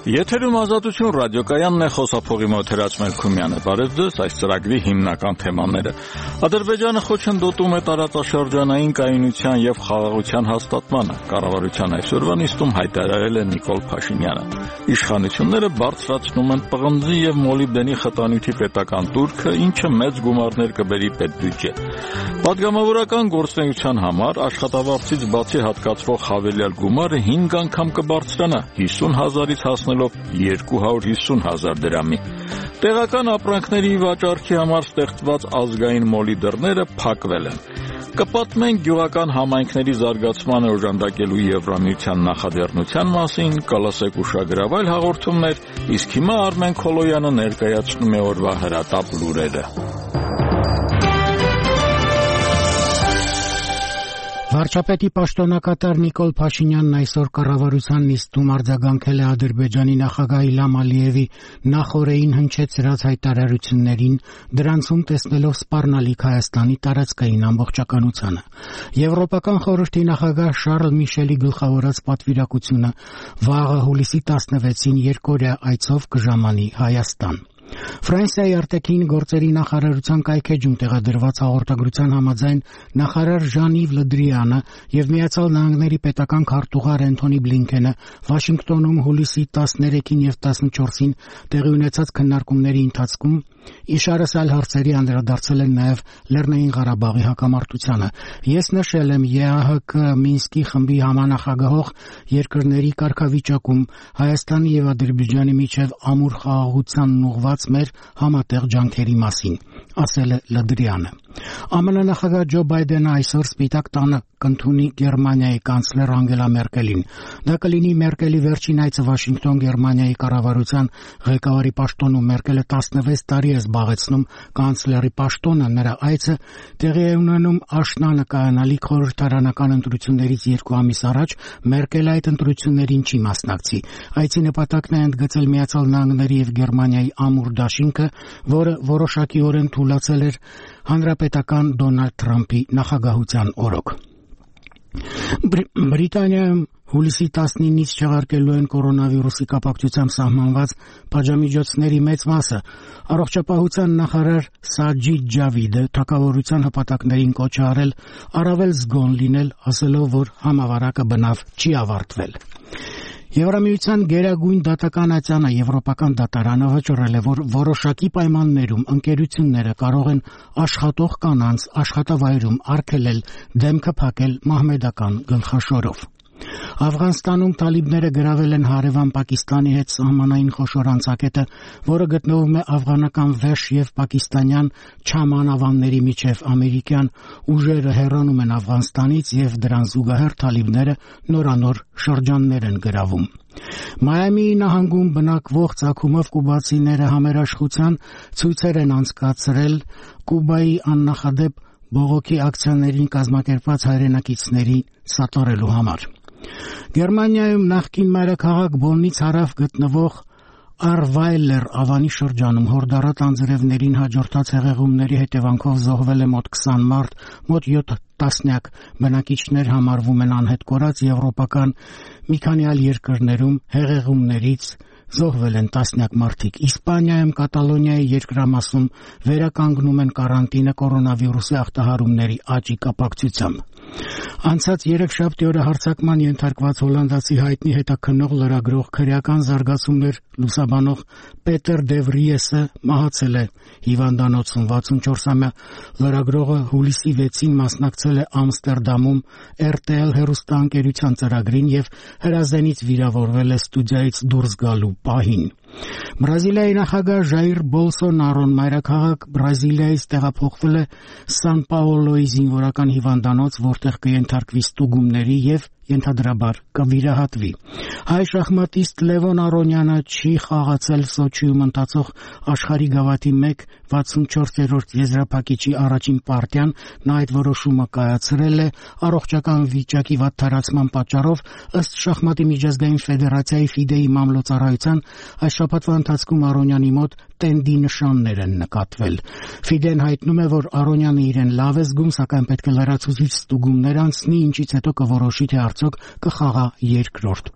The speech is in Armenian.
Եթերում Ազատություն ռադիոկայանն է, խոսափողի մոտ Հրաչ Մելքումյանը։ Բարև ձեզ, այս ծրագրի հիմնական թեմաները։ Ադրբեջանը խոչընդոտում է տարածաշրջանային կայունության եւ խաղաղության հաստատմանը։ Կառավարության այսօրվա նիստում հայտարարել է Նիկոլ Փաշինյանը։ Իշխանությունները բարձրացնում են պղնձի եւ մոլիբդենի խտանյութի պետական տուրքը, ինչը մեծ գումարներ կբերի պետբյուջե։ Պատգամավորական գործունեության համար աշխատավարձից բացի հատկացվող հավելյալ գումարը 5 անգամ կբարձրանա 50,000-ից հասնելով 250,000 դրամի։ Տեղական ապրանքների վաճառքի համար ստեղծված ազգային մոլի դռները փակվել են։ Կպատմենք գյուղական համայնքների զարգացմանը օժանդակելու Եվրամիության նախաձեռնության մասին, կլսեք ուշագրավ այլ հաղորդումներ, իսկ հիմա Արմեն Քոլոյանը ներկայացնում է օրվա հրատապ լուրերը։ Վարչապետի պաշտոնակատար Նիկոլ Փաշինյանն այսօր կառավարության նիստում արձագանքել է Ադրբեջանի նախագահ Իլհամ Ալիևի նախօրեին հնչեցրած հայտարարություններին, դրանցում տեսնելով սպառնալիք Հայաստանի տարածքային ամբողջականությանը։ Եվրոպական խորհրդի նախագահ Շարլ Միշելի գլխավորած պատվիրակությունը վաղը հուլիսի 16-ին երկօրյա այցով կժամանի Հայաստան։ Ֆրանսիայի արտաքին գործերի նախարարության կայքեջում տեղադրված հաղորդագրության համաձայն նախարար Ժան-Իվ Լդրիանը եւ Միացյալ Նահանգների պետական քարտուղար Անթոնի Բլինքենը Վաշինգտոնում հուլիսի 13-ին եւ 14-ին տեղի ունեցած քննարկումների ընթացքում իշարս այլ հարցերի անդրադարձել են նաեւ Լեռնային Ղարաբաղի հակամարտությանը։ Ես նշել եմ ԵԱՀԿ Մինսկի խմբի համանախագահող երկրների կարգավիճակում Հայաստանի եւ Ադրբեջանի միջև ամուր խաղաղությանն ուղղված մեր համատեղ ջանքերի մասին, ասել է Լդրյանը։ ԱՄՆ նախագահ Ջո Բայդենը այսօր Սպիտակ տանը կընդունի Գերմանիայի կանցլեր Անգելա Մերկելին։ Դա կլինի Մերկելի վերջին այցը Վաշինգտոն Գերմանիայի կառավարության ղեկավարի պաշտոնում։ Մերկելը 16 տարի է զբաղեցնում կանցլերի պաշտոնը, նրա այցը տեղի է ունենում աշնանը կայանալիք խորհրդարանական ընտրություններից 2 ամիս առաջ։ Մերկելը այդ ընտրություններին չի մասնակցի։ Այցի նպատակն է ընդգծել Միացյալ Նահանգների եւ Գերմանիայի ամուր դաշինքը, որը որոշակիորեն թուլացել էր հանրապետական Դոնալդ Թրամփի նախագահության օրոք։ Բրիտանիայում հուլիսի 19-ից չեղարկելու են կորոնավիրուսի կապակցությամբ սահմանված պատժամիջոցների մեծ մասը։ Առողջապահության նախարար Սաջիդ Ջավիդը թագավորության հպատակներին կոչ է արել առավել զգոն լինել, ասելով, որ համավարակը բնավ չի ավարտվել։ Եվրամիության գերագույն դատական ատյանը Եվրոպական դատարանը վճռել է, որ որոշակի պայմաններում ընկերությունները կարող են աշխատող կանանց աշխատավայրում արգելել դեմքը փակել մահմեդական գլխաշորով։ Աֆղանստանում տալիբները գրավել են հարևան Պակիստանի հետ սահմանային խոշոր անցակետը, որը գտնվում է աֆղանական Վեշ եւ պակիստանյան Չաման ավանների միջև։ Ամերիկյան ուժերը հեռանում են Աֆղանստանից եւ դրան զուգահեռ տալիբները նորանոր շրջաններ են գրավում։ Մայամիի նահանգում բնակվող ծագումով կուբացիները համերաշխության ցույցեր են անցկացրել Կուբայի աննախադեպ բողոքի ակցիաներին կազմակերպված հայրենակիցների սատարելու համար։ Գերմանիայում նախկին մայրաքաղաք Բոննից հարավ գտնվող Արվայլեր ավանի շրջանում հորդառատ անձրևներին հաջորդած հեղեղումների հետևանքով զոհվել է մոտ 20 մարդ, մոտ 7 տասնյակ բնակիչներ համարվում են անհետ կորած։ Եվրոպական մի քանի այլ երկրներում հեղեղումներից զոհվել են տասնյակ մարդիկ։ Իսպանիայում Կատալոնիայի երկրամասում վերականգնում են կարանտինը կորոնավիրուսի ախտահարումների աճի կապակցությամբ։ Անցած երեքշաբթի օրը հարձակման ենթարկված հոլանդացի հայտնի հետաքննող լրագրող քրեական զարգացումներ լուսաբանող Պետեր դե Վրիեսը մահացել է հիվանդանոցում։ 64-ամյա լրագրողը հուլիսի 6-ին մասնակցել է Ամստերդամում RTL հեռուստաընկերության ծրագրին եւ հրազենից վիրավորվել է ստուդիայից դուրս գալու պահին։ Բրազիլիայի նախագահ Ժայր Բոլսոնարոն մայրաքաղաք Բրազիլիայից տեղափոխվել է Սան Պաոլոյի զինվորական հիվանդանոց, որտեղ կենթարկվի ստուգումների եւ ենթադրաբար կվիրահատվի։ Հայ շախմատիստ Լևոն Արոնյանը չի խաղացել Սոչիում ընթացող աշխարհի գավաթի 1/64 եզրափակիչի առաջին պարտիան։ Նա այդ որոշումը կայացրել է առողջական վիճակի վատթարացման պատճառով։ Ըստ շախմատի միջազգային ֆեդերացիայի FIDE-ի մամլոյցարայության այս շաբաթվա ընթացքում Արոնյանի մոտ տենդի նշաններ են նկատվել։ FIDE-ն հայտնում է, որ Արոնյանը իրեն լավ է զգում, սակայն պետք է լրացուցիչ ստուգումներ անցնի, ինչից հետո կորոշի, թե արդյոք կխաղա երկրորդ